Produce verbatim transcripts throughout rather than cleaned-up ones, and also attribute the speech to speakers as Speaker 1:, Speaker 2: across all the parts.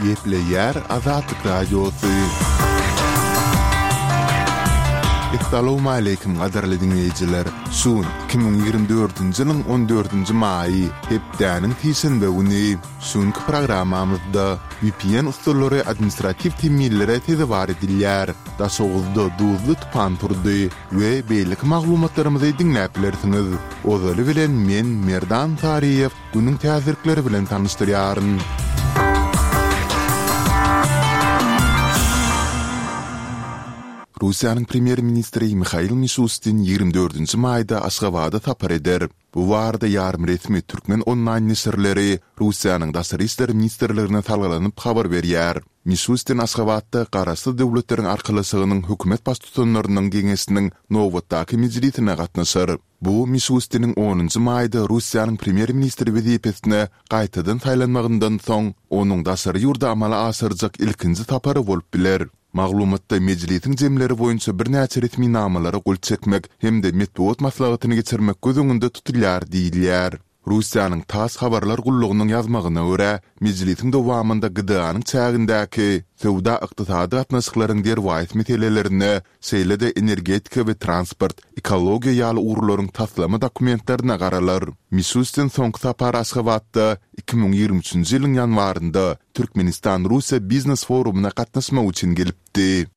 Speaker 1: Gepleýär Azatlyk Radiosy. Essalawmaleýkim gadyrly diňleýjiler! Şu gün iki müň ýigrimi dördünji ýylyň on dördünji maýy, hepdäniň sişenbe güni. Şu günki programmamyzda V P N usullary administratiw temmilere sezewar edilýär, Daşoguzda duzly tupan turdy we beýleki maglumatlarymyzy diňläp bilersiňiz. Ozaly bilen men Merdan Saryýew günüň täzelikleri bilen tanyşdyrýaryn. Russiýanyň premýer-ministri Mihail Mişustin ýigrimi dördünji maýda Aşgabada sapar eder. Bu barada ýarym resmi türkmen onlaýn neşirleri Russiýanyň Daşary işler ministrligine salgylanyp habar berýär. Mişustin Aşgabatda Garaşsyz Döwletleriň Arkalaşygynyň hökümet baştutanlarynyň geňeşiniň nobatdaky mejlisine gatnaşar. Bu Mişustiniň onunjy maýda Russiýanyň premýer-ministri wezipesine gaýtadan saýlanmagyndan soň, onuň daşary ýurda amala aşyrjak ilkinji sapary bolup biler. Maglumatda mejlisiň jemleri boýunça birnäçe resminamalara gol çekmek hem-de metbugat maslahatyny geçirmek göz öňünde tutulýar diýilýär. Russiýanyň TASS habarlar gullugynyň ýazmagyna görä, mejlisiň dowamynda G D A-nyň çägindäki söwda-ykdysady gatnaşyklaryň derwaýys meselelerine, şeýle-de energetika we transport, ekologiýa ýaly ugurlaryň taslama dokumentlerine garalar. Mişustin soňky sapar Aşgabatda iki müň ýigrimi üçünji ýylyň ýanwarynda Türkmenistan-Russiýa biznes forumyna gatnaşmak üçin gelipdi.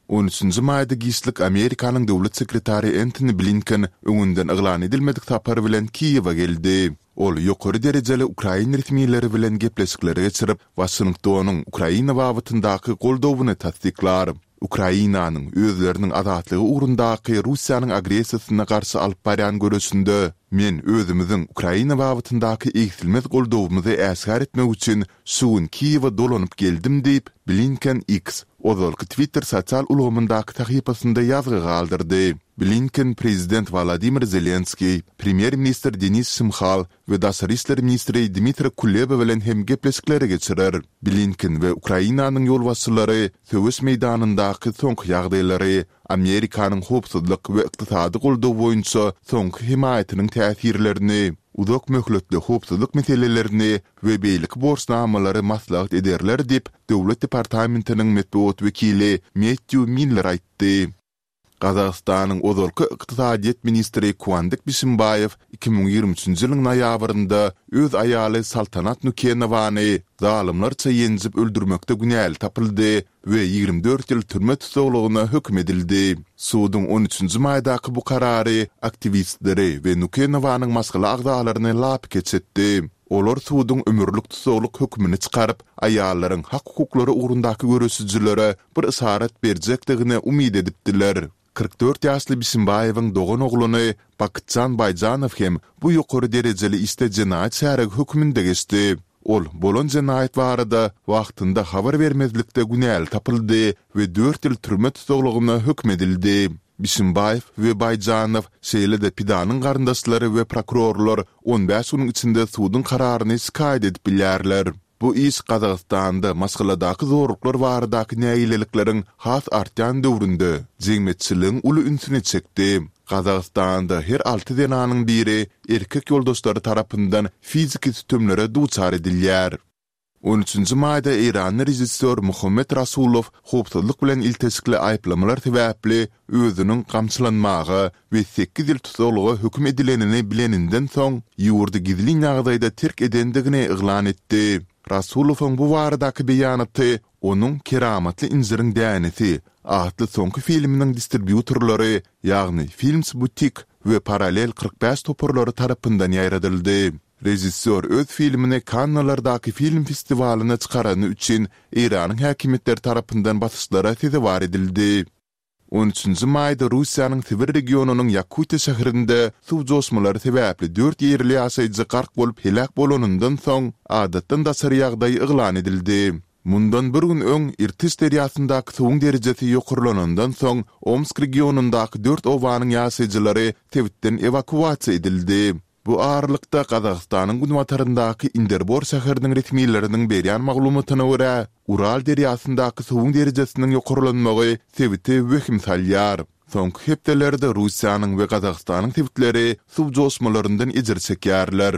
Speaker 1: On üçünji maýda giçlik Amerikanyň döwlet sekretary Entoni Blinken öňünden yglan edilmedik sapar bilen Kiýewe geldi. Ol ýokary derejeli ukrain resmileri bilen gepleşikleri geçirip, Waşingtonyň Ukraina babatyndaky goldawyny tassyklar. Ukrainanyň özleriniň azatlygy ugrundaky Russiýanyň agressiýasyna garşy alyp barýan göreşinde men özümiziň Ukraina babatyndaky egsilmez goldawymyzy äşgär etmek üçin şu gün Kiýewe dolanyp geldim diýip, Blinken X, ozalky Twitter sosial ulgamyndaky sahypasynda ýazgy galdyrdy. Blinken prezident Wolodymyr Zelenskiý, premýer-ministr Denis Şmyhal we daşary işler ministri Dmitri Kuleba bilen hem gepleşikleri geçirer. Blinken we Ukrainanyň ýolbaşçylary söweş meýdanyndaky soňky ýagdaýlary, Amerikanyň howpsuzlyk we ykdysady goldaw boýunça soňky hemaýatynyň täsirlerini, uzak möhletli howpsuzlyk meselelerini we beýleki borçnamalary maslahat ederler diýip, Döwlet departamentiniň metbugat wekili Mettýu Miller aýtdy. Gazagystanyň ozalky ykdysadyýet ministri Kuandyk Bişimbaýew iki müň ýigrimi üçünji ýylyň noýabrynda öz aýaly Saltanat Nukenowany zalymlarça ýenjip öldürmekde günäli tapyldy we ýigrimi dört ýyl türme tussaglygyna höküm edildi. Suduň on üçünji maýdaky bu karary aktiwistleri we Nukenowanyň maşgala agzalaryny lapykeç etdi. Olar suduň ömürlik tussaglyk hökümini çykaryp, aýallaryň hak-hukuklary ugrundaky göreşijilere bir yşarat berjekdigine umyt edipdiler. Kyrk dört ýaşly Bişimbaýewiň dogan oglany Bakytjan Baýjanow hem bu ýokary derejeli işde jenaýat şärigi höküminde geçdi. Ol bolan jenaýat barada wagtynda habar bermezlikde günäli tapyldy we dört ýyl türme tussaglygyna höküm edildi. Bişimbaýew we Baýjanow, şeýle-de pidanyň garyndaşlary we prokurorlar on bäş günüň içinde suduň kararyny şikaýat edip bilýärler. Bu iş Gazagystanda maşgaladaky zorluklar baradaky nägilelikleriň has artýan döwründe jemgyýetçiligiň uly ünsüni çekdi. Gazagystanda her alty zenanyň biri erkek ýoldaşlary tarapyndan fiziki sütemlere duçar edilýär. On üçünji maýda eýranly režissýor Muhammet Rasulow howpsuzlyk bilen ilteşikli aýyplamalar sebäpli özüniň gamçylanmaga we sekiz ýyl tussaglyga höküm edilenini bileninden soň, ýurdy gizlin ýagdaýda terk edendigini yglan etdi. Rasulowyň bu baradaky beýanaty onuň Keramatly injiriň dänesi atly soňky filminiň distribýutorlary, ýagny Films Boutique we Parallel kyrk bäş toparlary tarapyndan ýaýradyldy. Režissýor öz filmini Kannalardaky film festiwalyna çykarany üçin Eýranyň häkimiýetleri tarapyndan basyşlara sezewar edildi. On üçünji maýda Russiýanyň Sibir regionynyň Ýakutiýa şäherinde suw joşmalary sebäpli dört ýerli ýaşaýjy gark bolup heläk bolanyndan soň, adatdan daşary ýagdaý yglan edildi. Mundan bir gün öň Irtyş derýasyndaky suwuň derejesi ýokarlanandan soň, Omsk regionyndaky dört obanyň ýaşaýjylary sebitden ewakuasiýa edildi. Bu aralykda, Gazagystanyň günbataryndaky Inderbor şäheriniň resmileriniň berýän maglumatyna görä, Ural derýasyndaky suwuň derejesiniň ýokarlanmagy sebite wehim salýar. Soňky hepdelerde Russiýanyň we Gazagystanyň sebitleri suw joşmalaryndan ejir çekýärler.